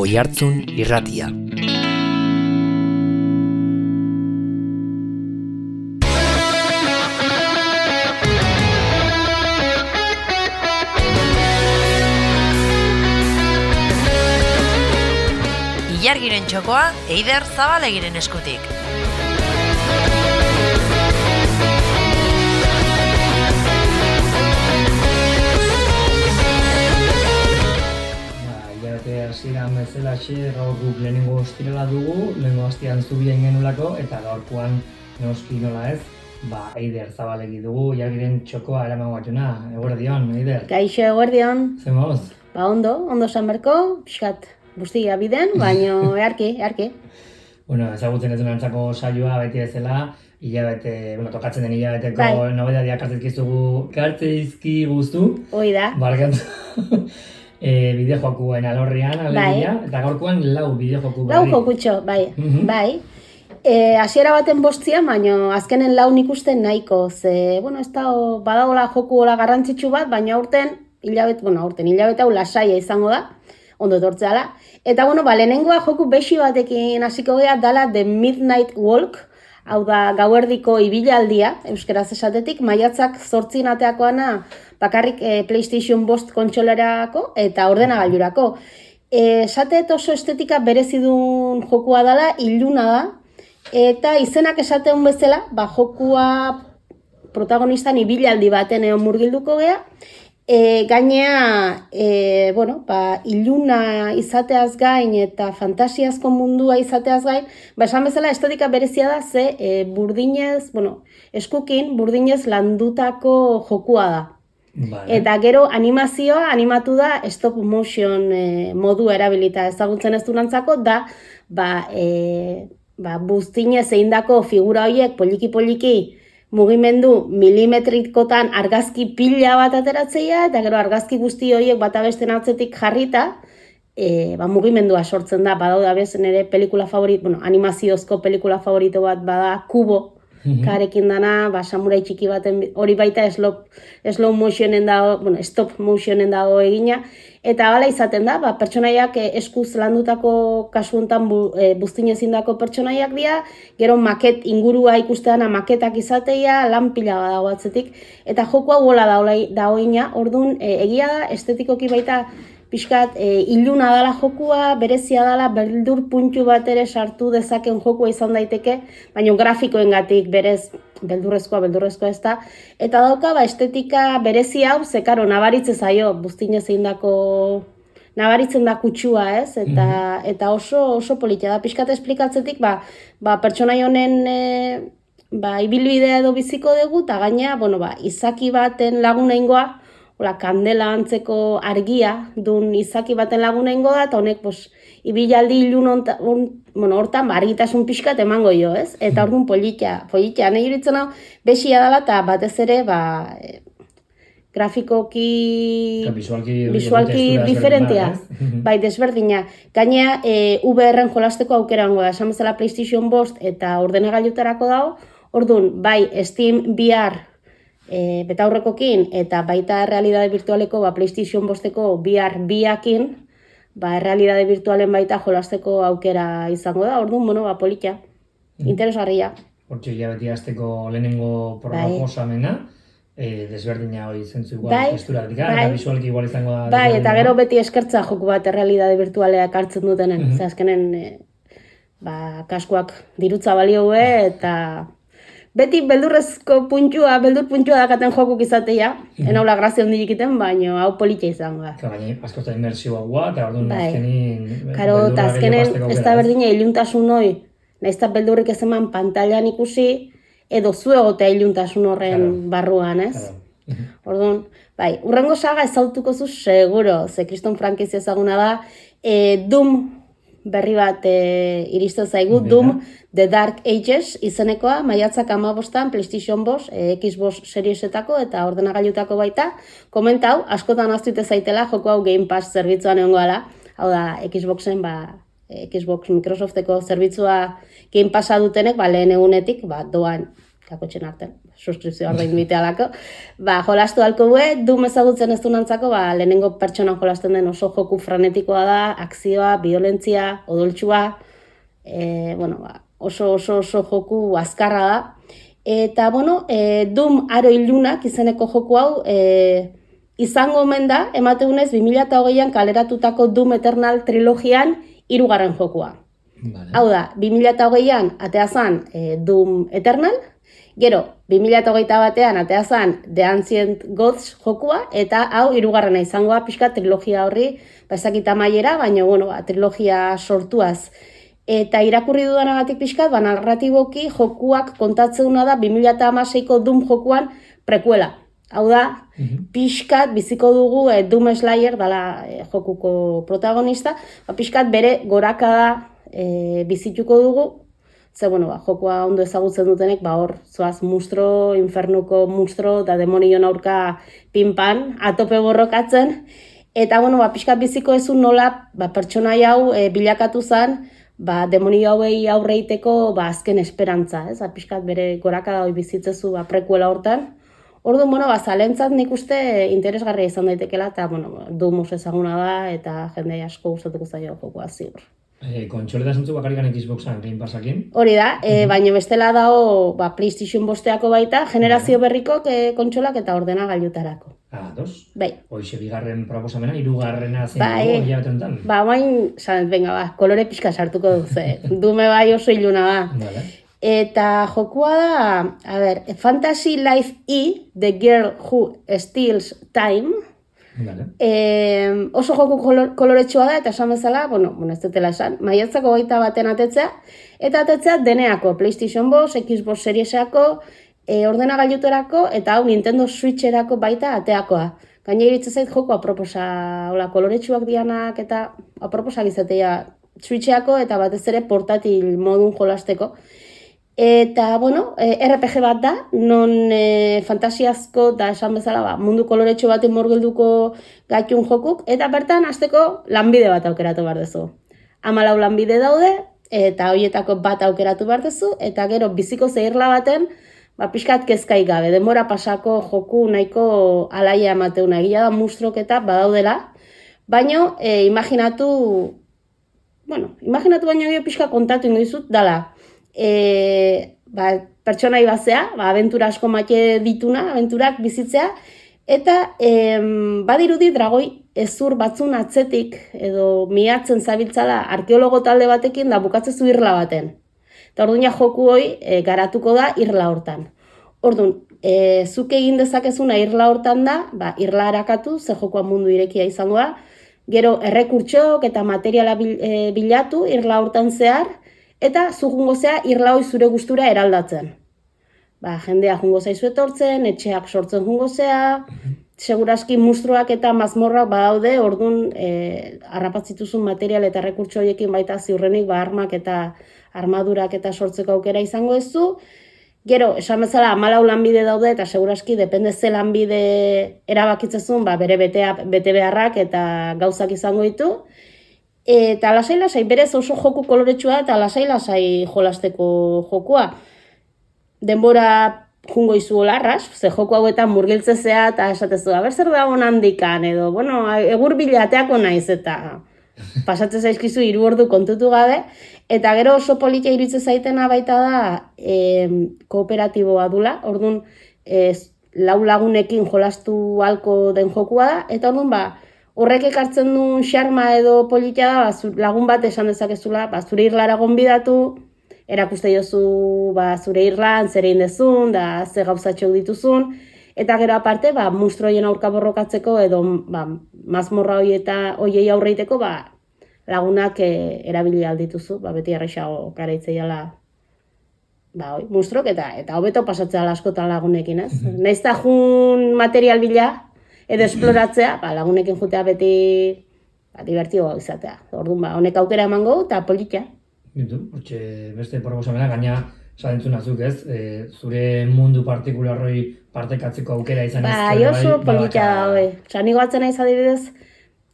Oihartzun Irratia. Ilargiren txokoa Eider Zabalegiren eskutik. Hasieran bezalaxe, gaur guk lehenengo ostirala dugu, lehenengo hastian zubien genulako, eta gaurkoan noski nola ez, Eider Zabalegi dugu, Ilargiren txokoa eraman batuna. Eguerdion, Eider. Kaixo, eguerdion. Zer moz? Ondo sanberko, pixkat guztia biden, baino earki. Bueno, ezagutzen ez duenantzako saioa beti bezala, tokatzen den hilabeteko nobedadiak kartzeizki guztu. Hoi da. Barkatu. Bideojokoen alorrean, alegia, eta gaurkoan 4 bideojoku berri. 4 jokutxo, bai. Hasiera baten bostia, baina azkenen 4 ikusten nahiko, ez da, badagola joku hola garrantzitsu bat, baina aurten hilabete hau lasaia izango da, ondo etortzeala. Eta, lehenengoa joku bexi batekin hasiko gea dala The Midnight Walk, hau da gauerdiko ibilaldia, euskeraz esatetik, maiatzak 8 ateakoana bakarrik PlayStation 5 kontsolerako eta ordenagailurako. Esatet oso estetika berezidun jokua dela, iluna da, eta izenak esateun bezala, jokua protagonistan ibilaldi baten murgilduko gea, gainea, iluna izateaz gain eta fantasiazko mundua izateaz gain, esan bezala estetika berezia da, burdinez, eskukin burdinez landutako jokua da. Vale. Eta gero animazioa animatu da stop motion modua erabilita ezagutzen ez durantzako da buztinez eindako figura horiek poliki mugimendu milimetrikotan argazki pila bat ateratzea eta gero argazki guzti horiek bata besten atzetik jarrita mugimendua sortzen da. Badaude bezen ere pelikula favorito, animaziozko pelikula favorito bat bada Kubo. Karekin dana, samurai txiki baten, hori baita slow motionen dago, stop motionen dago egina, eta hala izaten da, pertsonaiak eskuz landutako kasu honetan buztinezindako pertsonaiak dira, gero maket ingurua ikusteana maketak izateia, lan pila dago atzetik, eta jokoa gola da hoina, orduan egia da, estetikoki baita pixkat iluna dala jokua, berezia dala, beldur puntu bat ere sartu dezaken jokua izan daiteke, baina grafikoengatik berez beldurrezkoa ez da. Eta dauka, estetika berezia hau, zekaro, nabaritze zaio, buztinez eindako nabaritzen da kutsua, ez? Eta oso politia da. Pixkat esplikatzetik, pertsonai honen ibilbidea edo biziko dugu, eta gaina, izaki baten lagunengoa, kandela antzeko argia dun izaki baten lagunengo da, eta honek ibilaldi ilun hortan argitasun pixkat emango jo, ez? Eta orduan politia, nahi juritzen hau, bexia dela eta batez ere, grafikoki, visualki diferentea, desberdina. Gainea, VR-en jolasteko aukerango da, esan bezala PlayStation 5 eta ordenagailutarako dago, orduan, Steam VR betaurrekokin eta baita errealidade virtualeko PlayStation 5eko VR biakin errealidade virtualen baita jolasteko aukera izango da, orduan, politia, interesgarria. Hortxe hilabeti azteko lehenengo proposamena, desberdina hori zentzu igual testurak dika, eta visualki igual izango da. Eta gero beti eskertza joku bat errealidade virtualeak hartzen dutenen, azkenen kaskoak dirutza balioe eta beti beldur puntua dakaten jokuk izatea, enaula grazia hondik egiten, baina hau politia izango da. Baina, askotan inmersioa gua, eta orduan azkenin... Eta azkenen ez da berdina iluntasun hori, nahiz eta beldurrik ez eman pantailan ikusi, edo zu egotea iluntasun horren barruan, ez? Orduan, urrengo saga ezautuko zu seguro, ze Kriston frankizia ezaguna da, Doom berri bat iristen zaigu, Doom The Dark Ages izenekoa, maiatzak 15 PlayStation 5, Xbox Seriesetako eta ordenagailutako baita. Komentau, askotan aztuite zaitela, joko hau Game Pass zerbitzuan egongo ala, hau da Xboxen, Xbox Microsofteko zerbitzua Game Passa dutenek, lehen egunetik, doan kakotxen artean. suskripzioa ordaindu bitealako, jolastu halko gue, Doom ezagutzen ez dunantzako, lehenengo pertsonan jolasten den oso joku frenetikoa da, akzioa, violentzia, odoltsua, oso joku azkarra da. Eta, Doom Aro Ilunak izeneko joku hau, izango omen da, emateunez 2008an kaleratutako Doom Eternal trilogian 3. jokua. Vale. Hau da, 2008an atea zan Doom Eternal, gero 2021an atea zan The Ancient Gods jokua, eta hau 3. izangoa pixka trilogia horri, ezakita maiera, baina trilogia sortuaz. Eta irakurri dudanagatik pixkat, narratiboki jokuak kontatzeuna da 2016ko Doom jokuan prekuela. Hau da, pixkat biziko dugu Doom Slayer, dala jokuko protagonista, pixkat bere gorakada bizituko dugu, ze jokua ondo ezagutzen dutenek, hor zoaz monstro, infernuko monstro, eta demonion aurka pinpan, atope borrokatzen, eta pixkat biziko ezun nola pertsonai hau bilakatu zen, demonio hauei aurreiteko azken esperantza, pixkat bere gorakada hori bizitzezu prekuela hortan. Orduan, zalentzat nik uste interesgarria izan daitekela, eta Doom oso ezaguna da, eta jende asko gustatuko zaio jokoa ziur. Kontsoleta zentzu bakarrikan Xboxan, Game Passakin? Hori da, baina bestela dago PlayStation bosteako baita, generazio berriko kontsolak eta ordenagailutarako. Dos? Bai. Hoixe bigarren proposamena, 3. zein dugu, hilabetenetan. Kolore pixka sartuko duze. Dume bai oso iluna da. Vale. Eta jokua da, Fantasy Life E, The Girl Who Steals Time. Vale. Oso joku koloretsua da, eta esan bezala, ez dutela esan, maiatzako 21 atetzea, eta atetzea deneako, PlayStation 5, Xbox Seriesako, ordenagailuterako, eta hau Nintendo Switcherako baita ateakoa. Gaina iritze zait joku aproposa, koloretsuak dianak, eta aproposak izatea Switcherako, eta batez ere portatil modun jolasteko. Eta, RPG bat da, non fantasiazko eta esan bezala mundu koloretxo baten morgelduko gaitun jokuk, eta bertan hasteko lanbide bat aukeratu behar duzu. 14 lanbide daude, eta horietako bat aukeratu behar duzu, eta gero biziko zehirla baten, pixkat kezkai gabe, denbora pasako joku nahiko alaia emateuna, egia da monstruoketa badaudela, baina imaginatu baino pixka kontatu ingo dizut, dala, pertsonai bazea, abentura asko maite dituna, abenturak bizitzea, eta badirudi dragoi ezur batzun atzetik edo miatzen zabiltzala arkeologo talde batekin da bukatzezu irla baten. Eta orduan joku hoi garatuko da irla hortan. Orduan, zuk egin dezakezuna irla hortan da, irla harakatu, ze jokoa mundu irekia izango da, gero errekurtsok eta materiala bilatu irla hortan zehar, eta zu jungo zea irla hoi zure gustura eraldatzen. Jendea jungo zaizu etortzen, etxeak sortzen jungo zea, seguraski monstruak eta mazmorrak badaude, orduan harrapatzituzun material eta errekurtso horiekin baita ziurrenik armak eta armadurak eta sortzeko aukera izango ez du. Gero, esan bezala 14 lanbide daude eta seguraski depende ze lanbide erabakitzezun bere bete beharrak eta gauzak izango ditu. Eta lasai-lasai, berez oso joku koloretsua eta lasai-lasai jolasteko jokua. Denbora jungo izu olarras, ze joku hauetan murgiltzezea eta esatezu, zer dagoen handikan, edo, egur bilateako naiz eta pasatzen zaizkizu 3 ordu kontutu gabe, eta gero oso politia iruditzen zaitena baita da kooperatiboa dula, orduan 4 lagunekin jolastu halko den jokua da, eta orduan horrek ekartzen duen xarma edo politia da, lagun bat esan dezakezula, zure irlara gonbidatu, erakuste jozu zure irlan, zer egin dezun, da ze gauzatxok dituzun, eta gero aparte, monstruoien aurka borrokatzeko edo mazmorra hoiei aurreiteko lagunak erabili aldituzu, beti arrexago garaitzeiala monstruok eta hobeto pasatzea askotan lagunekin, ez? Naiz da jun material bila edo esploratzea, lagunekin jutea beti divertioa izatea. Orduan, honek aukera emango eta politia. Hortxe beste proposamena, gaina sadentzun azuk ez, zure mundu partikularroi partekatzeko aukera izan ez. Oso politia da, nigo batzen naiz adibidez,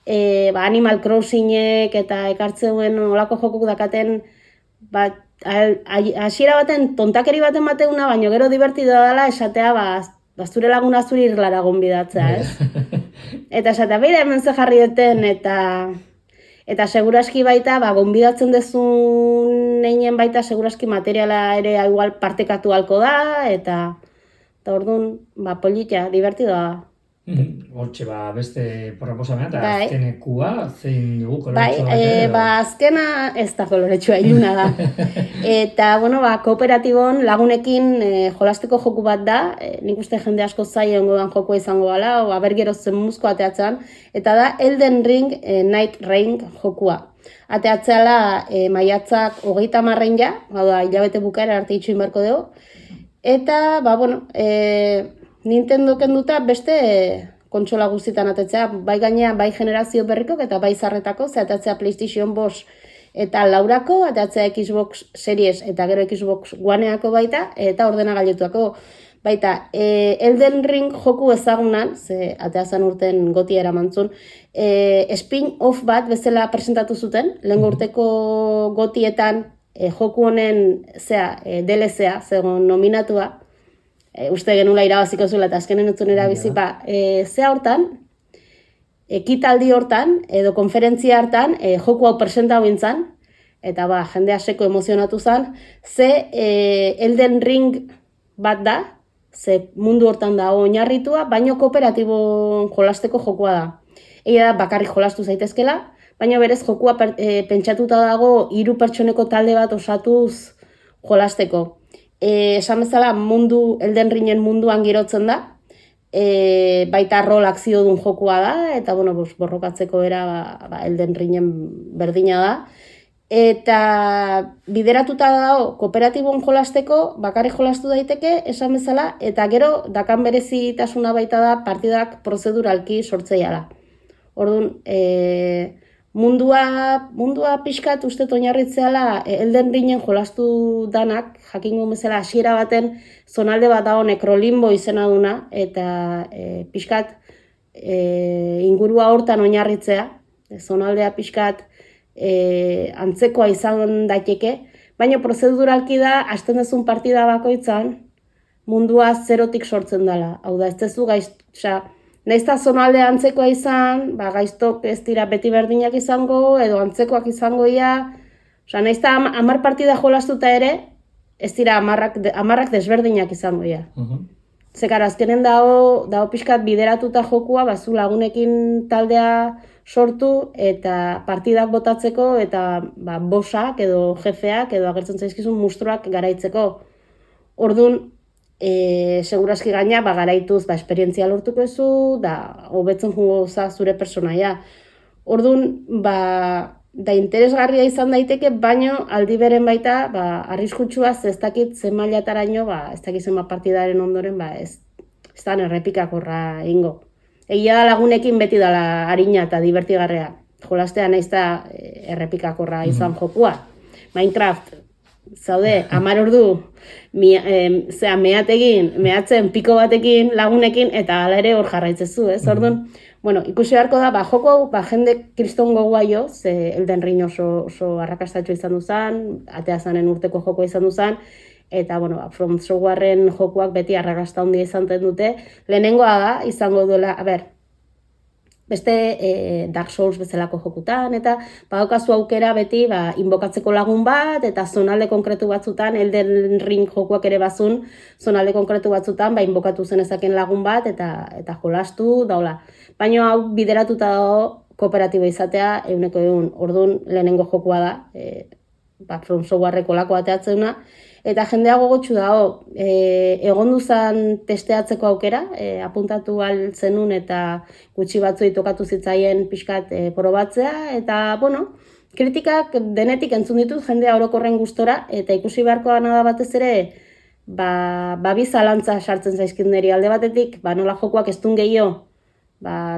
Animal Crossingek eta ekartzen duen olako jokuk dakaten hasiera baten tontakeri baten bateuna, baina gero divertidoa dela esatea, zure laguna zuri irlara gonbidatzea, ez? Eta esatea, beida hemen ze jarri duten, eta seguraski baita, gonbidatzen dezun einen baita, seguraski materiala ere igual partekatu halko da, eta orduan, politia, divertidoa da. Hortxe, beste proposamena, eta azkenekua, zein dugu koloretsua? Azkena ez da koloretsua, iluna da. Eta, kooperatibon lagunekin jolasteko joku bat da, nik uste jende asko zaien godan jokua izango gala, bergero zen muzko ateatzen, eta da Elden Ring Night Reign jokua. Ateatzeala maiatzak 30 ja, hilabete bukaera arte itxuin beharko dugu, eta, Nintendo kenduta beste kontsola guztietan atetzea, bai gainea, bai generazio berrikok eta bai zarretako, ateatzea PlayStation 5 eta laurako, ateatzea Xbox Series eta gero Xbox Oneako baita, eta ordenagailutuako baita. Elden Ring joku ezagunan, ateazan urten goti eramantzun, spin-off bat bezala presentatu zuten, lehen urteko gotietan joku honen DLC-a, zegoen nominatua, uste genula irabaziko zuela eta azkenen utzun erabizipa, zea hortan, ekitaldi hortan, edo konferentzia hartan, joku hau presentau bintzan, eta jendea seko emozionatu zen, Elden Ring bat da, ze mundu hortan da oinarritua, baino kooperatibon jolasteko jokua da. Egia da, bakarrik jolastu zaitezkela, baina berez jokua pentsatuta dago 3 pertsoneko talde bat osatuz jolasteko. Esan bezala Elden Ringen munduan girotzen da, baita rol akzio dun jokua da, eta borrokatzeko era Elden Ringen berdina da. Eta bideratuta dago kooperatibon jolasteko, bakarrik jolastu daiteke, esan bezala, eta gero dakan berezitasuna baita da partidak prozeduralki sortzea da. Orduan, mundua pixkat uste oinarritzeala Elden Ringen jolastu danak, jakingo bezala hasiera baten zonalde bat dago Necrolimbo izena duna, eta pixkat ingurua hortan oinarritzea, zonaldea pixkat antzekoa izan daiteke, baina prozeduralki da, hasten dezun partida bakoitzan, mundua zerotik sortzen dela. Hau da, ez dezu nahiz eta zonaldea antzekoa izan, gaiztok ez dira beti berdinak izango, edo antzekoak izango ia, nahiz eta 10 partida jolastuta ere, ez dira 10 desberdinak izango ia. Zekar, azkenen dago pixkat bideratuta jokua, zu lagunekin taldea sortu, eta partidak botatzeko, eta bosak edo jefeak, edo agertzen zaizkizun mustruak garaitzeko. Orduan, seguraski gaina, garaituz, esperientzia lortuko ezu, da hobetzen jungo zure personaia. Orduan, da interesgarria izan daiteke, baino aldi beren baita, arriskutsua, ez dakit zen mailataraino, ez dakit zen partidaren ondoren, ez da errepikakorra ingo. Egia da lagunekin beti dala harina eta divertigarrea. Jolastea nahiz da errepikakorra izan jokua. Minecraft, zaude, 10 ordu, mehatzen piko batekin, lagunekin, eta hala ere hor jarraitzezu, ez? Orduan, ikusi beharko da, joko hau, jende kriston gogoa jo, Elden Ring oso arrakastatxo izan duzan, ateazanen urteko joko izan duzan, eta, From Softwareren jokuak beti arrakasta handia izan dute. Lehenengoa da, izango duela, beste Dark Souls bezalako jokutan, eta badaukazu aukera beti inbokatzeko lagun bat, eta zonalde konkretu batzutan, Elden Ring jokuak ere bazun, zonalde konkretu batzutan, inbokatu zenezaken lagun bat, eta jolastu, daula. Baina hau bideratuta dago kooperatibo izatea, 100%. Orduan lehenengo jokua da, From Softwareko lako ateatzeuna, eta jendea gogotsu dago, egon duzan testeatzeko aukera, apuntatu zenun eta gutxi batzuei tokatu zitzaien pixkat probatzea, eta, kritikak denetik entzun ditut jendea orokorren gustora, eta ikusi beharko da batez ere, bi zalantza sartzen zaizkin niri alde batetik, nola jokuak ez duen gehiago,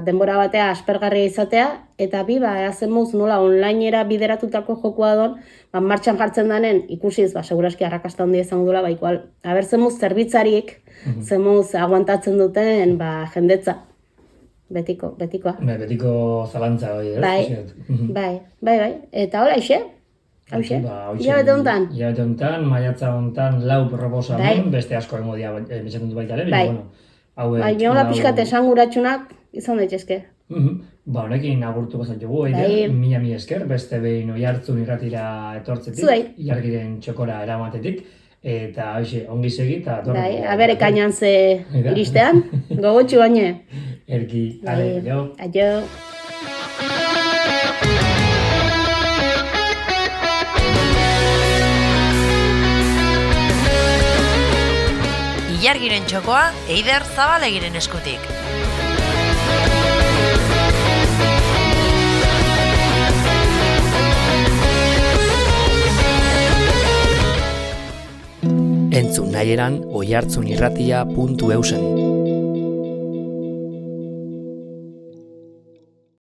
denbora batea aspergarria izatea, eta eazen moz nola onlinera bideratutako jokua don, martxan jartzen danen ikusiz, seguraski arrakasta handia izango duela, ikual, zen moz zerbitzarik, zen moz aguantatzen duten jendetza. Betikoa. Betiko zalantza hori, ez? Bai. Eta hola, ixe? Hauxe, hilabete honetan. Hilabete honetan, maiatza honetan 4 proposamen, beste asko egongo dira emitxatu dut baita ere, bueno, hauek... Baina hola pixkat esanguratsunak izan daitezke. Ba, honekin agurtuko zaitugu, Eider, mila esker, beste behin Oihartzun irratira etortzetik, Ilargiren txokora eramatetik, eta hoxe, ongi segi, eta torreko... Abere kainan ze iristean, gogotxu baine. Erki, aio. Aio. Ilargiren txokoa, Eider Zabalegiren eskutik. Entzun nahieran oihartzunirratia.eusen.